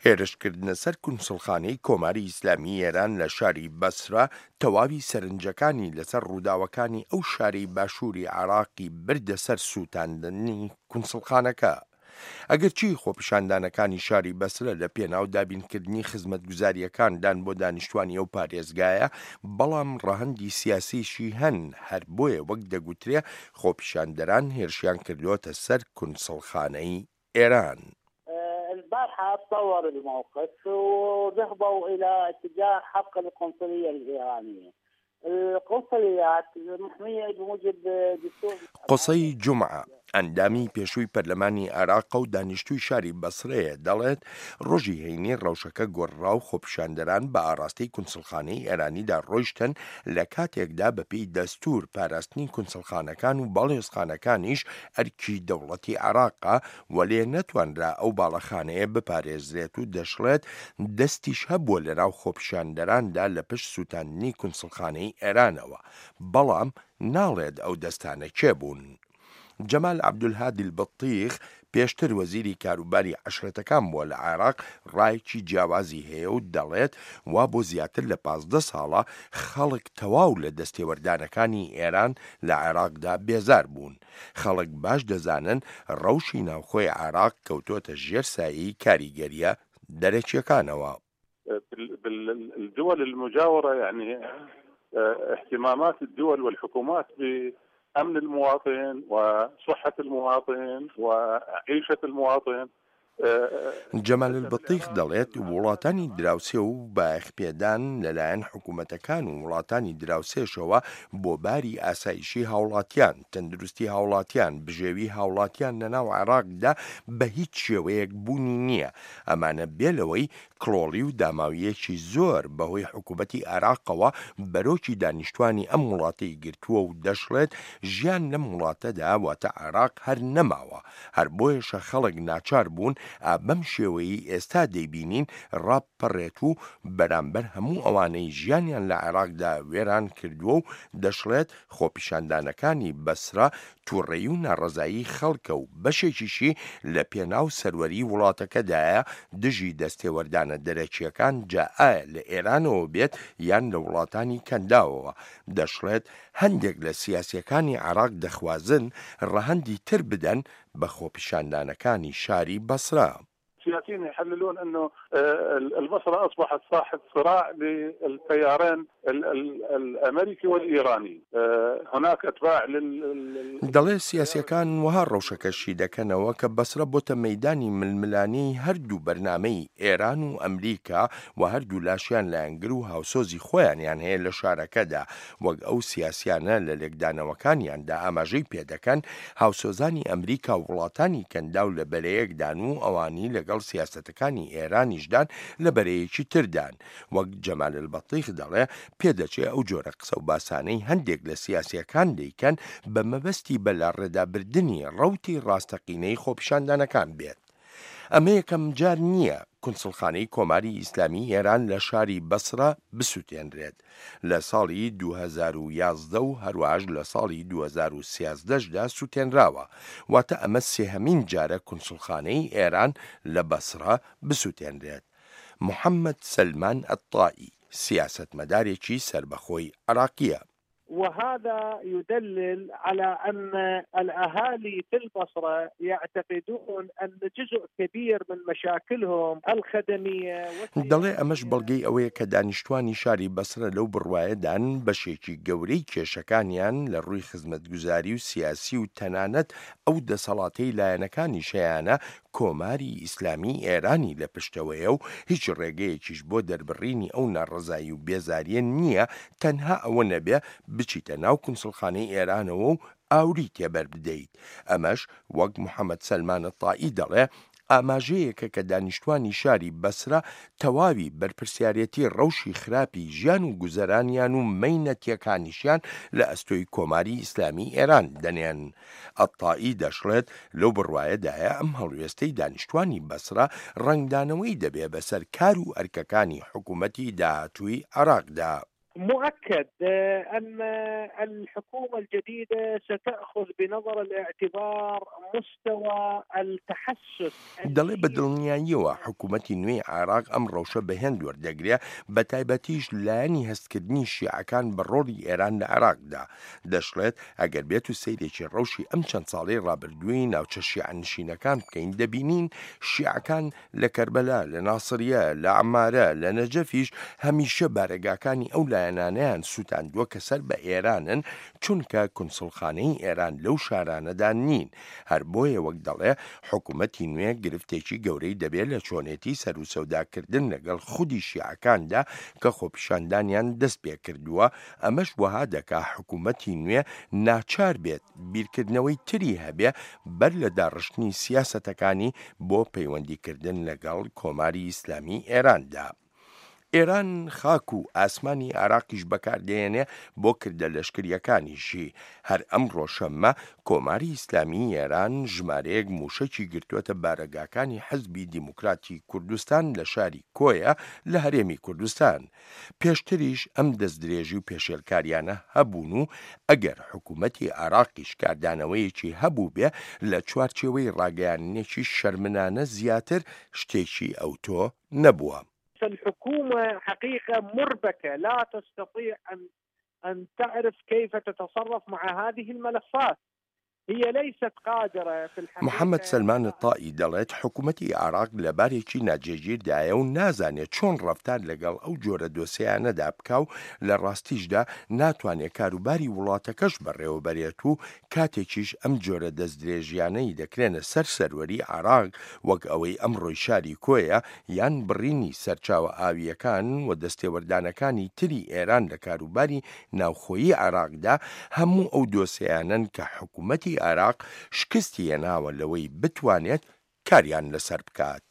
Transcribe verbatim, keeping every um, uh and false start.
هێرشکردنە سەر کونسوڵخانەی کۆماری ئیسلامی ئێران لە شاری بەسرە تەواوی سەرنجەکانی لەسەر ڕووداوەکانی ئەو شارەی باشووری عێراقی بردە سەر سووتاندنی کونسوڵخانەکە. ئەگەرچی خۆپیشاندانەکانی شاری بەسرە لە پێناو دابینکردنی خزمەتگوزارییەکاندان بۆ دانیشتوانی ئەو پارێزگایە، بەڵام ڕەهەندی سیاسیشی هەن، هەر بۆیە وەک دەگوترێ خۆپیشاندەران هێرشیان کردووەتە سەر کونسڵخانەی ئێران. البارحة تطور الموقف وذهبوا إلى اتجاه حرق القنصلية الإيرانية. القنصليات محمية بموجب دستور. قوسەی جومعە، ئەندامی پێشووی پەرلەمانی عێراقە و دانیشتووی شاری بەسرەیە، دەڵێت، ڕۆژی هەینی ڕەوشەکە گۆڕرا و خۆپیشاندەران بە ئاڕاستەی کونسڵخانەی ئێرانیدا ڕۆیشتن، لە کاتێکدا بەپێی دەستوور پاراستنی کونسڵخانەکان و باڵیۆزخانەکانیش ئەرکی دەوڵەتی عێراقە، وەلێ نەتوانرا ئەو باڵەخانەیە بپارێزرێت و دەشڵێت، دەستیش هەبووە لەناو خۆپیشاندەراندا لە پشت سووتاندنی کونسڵخانەی ئێرانەوە، بەڵام ناڵێت ئەو دەستانە کێ بوون. جەمال عەبدولهادی البطیخ پێشتر وەزیری کاروباری عەشرەتەکان بووە لە عێراق، ڕایەکی جیاوازی هەیە و دەڵێت وا بۆ زیاتر لە پازدە ساڵە خەڵک تەواو لە دەستێوەردانەکانی ئێران لە عێراقدا بێزار بوون. خەڵک باش دەزانن ڕەوشی ناوخۆی عێراق کەوتۆتە ژێر سایەی کاریگەرییە دەرەکییەکانەوە. الدول المجاورة يعني اهتمامات الدول والحكومات بأمن المواطن وصحة المواطن وعيشة المواطن. جەمال البطیخ دەڵێت، وڵاتانی دراوسێ و بایەخپێدان لەلایەن حکوومەتەکان و وڵاتانی دراوسێشەوە بۆ باری ئاسایشی هاوڵاتیان، تەندروستی هاوڵاتیان، بژێوی هاوڵاتیان لەناو عێراقدا بە هیچ شێوەیەک بوونی نییە. ئەمانە بێ لەوەی کڵۆڵی و داماوییەکی زۆر بەهۆی حکوومەتی عێراقەوە بەرۆکی دانیشتوانی ئەم وڵاتەی گرتووە و دەشڵێت ژیان لەم وڵاتەدا واتە عێراق هەر نەماوە، هەر بۆیەشە خەڵک ناچار بوون ئا بەم شێوەیەی ئێستا دەیبینین ڕابپەڕێت و بەرامبەر هەموو ئەوانەی ژیانیان لە عێراقدا وێران کردووە و دەشڵێت خۆپیشاندانەکانی بەسرە توڕەیی و ناڕەزایی خەڵکە و بەشێکیشی لە پێناو سەروەری وڵاتەکەدایە دژی دەستێوەردانە دەرەکییەکان جا ئایا لە ئێرانەوە بێت یان لە وڵاتانی کەنداوەوە. دەشڵێت هەندێک لە سیاسییەکانی عێراق دەخوازن ڕەهەندی تر بدەن بە خۆپیشاندانەکانی شاری بەسرە. سياسيين يحللون انه البصره اصبحت ساحه صراع للتيارين الامريكي والايراني، هناك اتباع لل دەڵێ سیاسیەکان وەها ڕەوشەکە شی دەکەنەوە کە بەسرە بۆتە مەیدانی ململانێی هەردوو بەرنامەی ئێران و ئەمریکا و هەردوو لاشیان لایەنگر و هاوسۆزی خۆیانیان هەیە لە شارەکەدا، وەک ئەو سیاسیانە لە لێکدانەوەکانیاندا ئاماژەی پێدەکەن هاوسۆزانی ئەمریکا و وڵاتانی کەنداو لە بەرەیەکدان و ئەوانی لەگەڵ سیاسەتەکانی ئێرانیشدان لە بەرەیەکی تردان. وەک جەمال البەتیخ دەڵێ پێدەچێ ئەو جۆرە قسە و باسانەی هەندێک لە سیاسیەکان دەیکەن بە مەبەستی بەلاڕێدابردنی ڕەوتی ڕاستەقینەی خۆپیشاندانەکان بێت. ئەمە یەکەم جار نییە کونسڵخانەی کۆماری ئیسلامی ئێران لە شاری بەسرە بسووتێنرێت. لە ساڵی دوو هەزار و یازدە و هەروەهاش لە ساڵی دوو هەزار و سیازدە دا سووتێنراوە. واتە ئەمە سێهەمین جارە کونسڵخانەی ئێران لە بەسرە بسووتێنرێت. محەممەد سەلمان ئەلتائی، سیاسەتمەدارێکی سەربەخۆی عێراقییە. وهذا يدلل على أن الأهالي في البصرة يعتقدون أن جزء كبير من مشاكلهم الخدمية. دەڵێ ئەمەش بەڵگەی ئەوەیە کە دانیشتوانی شاری بەسرە لەو بڕوایەدان بەشێکی گەورەی کێشەکانیان لە ڕووی خزمەتگوزاری و سیاسی و تەنانەت ئەو دەسەڵاتەی لایەنەکانیش هەیانە کۆماری ئیسلامی ئێرانی لە پشتەوەیە و هیچ ڕێگەیەکیش بۆ دەربڕینی ئەو ناڕەزایی و بێزارییە نییە تەنها ئەوە نەبێ بچیتە ناو کونسڵخانەی ئێرانەوە و ئاوری تێبەر بدەیت. ئەمەش وەک محەمەد سەلمان التائی دەڵێ ئاماژەیەکە کە دانیشتوانی شاری بەسرە تەواوی بەرپرسیارێتی ڕەوشی خراپی ژیان و گوزەرانیان و مەینەتیەکانیشیان لە ئەستۆی کۆماری ئیسلامی ئێران دەنێن. ئەتائی دەشڵێت لەو بڕوایەدایە ئەم هەڵوێستەی دانیشتوانی بەسرە ڕەنگدانەوەی دەبێ بەسەر کار و ئەرکەکانی حکوومەتی داهاتووی عێراقدا. مؤكد أن الحكومة الجديدة ستأخذ بنظر الاعتبار مستوى التحسس. دەڵێ بە دڵنیاییەوە حکوومەتی نوێی عێراق ئەم ڕەوشە بە هێند وەردەگرێ، بە تایبەتیش لایەنی هەستکردنی شیعەکان بە ڕۆڵی ئێران لە عێراقدا. دەشڵێت ئەگەر بێت و سەیرێکی ڕەوشی ئەم چەند ساڵەی ڕابردووی ناوچە شیعەنشینەکان بکەین، دەبینین شیعەکان لە کەربەلا، لە ناسریە، لە عەمارە، لە نەجەفیش هەمیشە بارەگاکانی ئەو لایەنانەیان سووتاندووە کە سەر بە ئێرانن، چونکە کونسوڵخانەی ئێران لەو شارانەدا نین. هەر بۆیە وەک دەڵێ حکوومەتی نوێ گرفتێکی گەورەی دەبێت لە چۆنێتی سەروسەوداکردن لەگەڵ خودی شیعەکاندا کە خۆپیشاندانیان دەست پێ کردووە. ئەمەش وەها دەکا حکوومەتی نوێ ناچار بێت بیرکردنەوەی تری هەبێ بەر لە داڕشتنی سیاسەتەکانی بۆ پەیوەندیکردن لەگەڵ کۆماری ئیسلامی ئێراندا. ئێران خاک و ئاسمانی عێراقیش بەکاردێنێ بۆ کردە لەشکریەکانیشی. هەر ئەمڕۆ شەممە کۆماری ئیسلامی ئێران ژمارەیەک مووشەکی گرتووەتە بارەگاکانی حزبی دیموکراتی کوردستان لە شاری کۆیە لە هەرێمی کوردستان. پێشتریش ئەم دەستدرێژی و پێشێلکاریانە هەبوون و ئەگەر حکوومەتی عێراقیش کاردانەوەیەکی هەبوو بێ لە چوارچێوەی ڕاگەیاندنێکی شەرمنانە زیاتر شتێکی ئەوتۆ نەبووە. الحكومة حقيقة مربكة، لا تستطيع أن أن تعرف كيف تتصرف مع هذه الملفات. هي ليست قادرة في الحقيقة. محەممەد سەلمان تائی دەڵێت حکوومەتی عێراق لە بارێکی ناجێگیردایە و نازانێت چۆن ڕەفتار لەگەڵ ئەو جۆرە دۆسیانەدا بکا و لە ڕاستیشدا ناتوانێت کاروباری وڵاتەکەش بەڕێوەبەرێت و کاتێکیش ئەم جۆرە دەستدرێژیانەی دەکرێنە سەر سەروەری عێراق وەک ئەوەی ئەمڕۆی شاری کۆیە یان بڕینی سەرچاوە ئاویەکان و دەستێوەردانەکانی تری ئێران لە کاروباری ناوخۆیی عێراقدا، هەموو ئەو دۆسیانەن کە حکوومەتی عێراق شکستی هێناوە لەوەی بتوانێت کاریان لەسەر بکات.